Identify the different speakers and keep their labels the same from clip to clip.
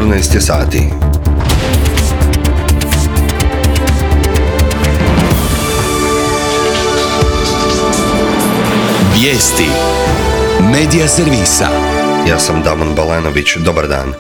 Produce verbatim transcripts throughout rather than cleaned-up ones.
Speaker 1: četrnaest je sati.
Speaker 2: Vijesti Medija servisa.
Speaker 1: Ja sam Damon Balanović, dobar dan.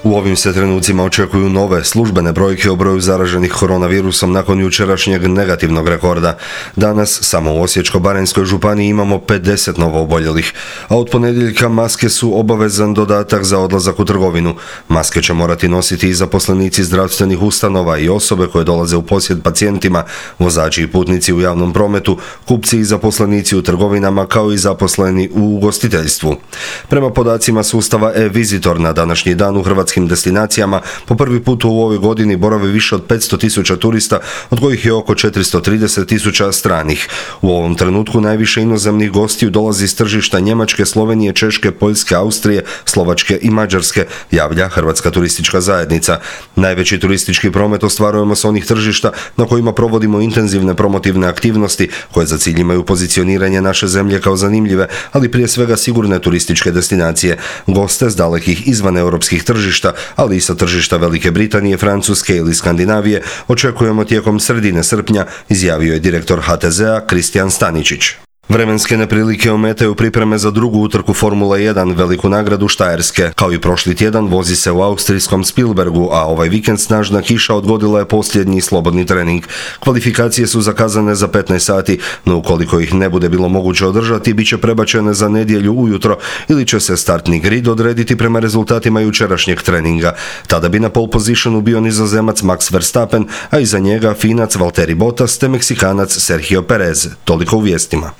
Speaker 1: U ovim se trenucima očekuju nove službene brojke o broju zaraženih koronavirusom nakon jučerašnjeg negativnog rekorda. Danas samo u Osječko-baranjskoj županiji imamo pedeset novooboljelih, a od ponedjeljka maske su obavezan dodatak za odlazak u trgovinu. Maske će morati nositi i zaposlenici zdravstvenih ustanova i osobe koje dolaze u posjet pacijentima, vozači i putnici u javnom prometu, kupci i zaposlenici u trgovinama kao i zaposleni u ugostiteljstvu. Prema podacima sustava e-Visitor na današnji dan u hrvatskim destinacijama po prvi put u ovoj godini boravi više od petsto tisuća turista, od kojih je oko četiristo trideset tisuća stranih. U ovom trenutku najviše inozemnih gostiju dolazi iz tržišta Njemačke, Slovenije, Češke, Poljske, Austrije, Slovačke i Mađarske, javlja Hrvatska turistička zajednica. Najveći turistički promet ostvarujemo s onih tržišta na kojima provodimo intenzivne promotivne aktivnosti koje za cilj imaju pozicioniranje naše zemlje kao zanimljive, ali prije svega sigurne turističke destinacije. Goste s dalekih izvan europskih tržišta, ali i sa tržišta Velike Britanije, Francuske ili Skandinavije očekujemo tijekom sredine srpnja, izjavio je direktor ha te zea Kristijan Staničić. Vremenske neprilike ometaju pripreme za drugu utrku Formule jedan, veliku nagradu Štajerske. Kao i prošli tjedan vozi se u austrijskom Spielbergu, a ovaj vikend snažna kiša odgodila je posljednji slobodni trening. Kvalifikacije su zakazane za petnaest sati, no ukoliko ih ne bude bilo moguće održati, bit će prebačene za nedjelju ujutro ili će se startni grid odrediti prema rezultatima jučerašnjeg treninga. Tada bi na pole positionu bio Nizozemac Max Verstappen, a iza njega Finac Valtteri Bottas te Meksikanac Sergio Perez. Toliko u vijestima.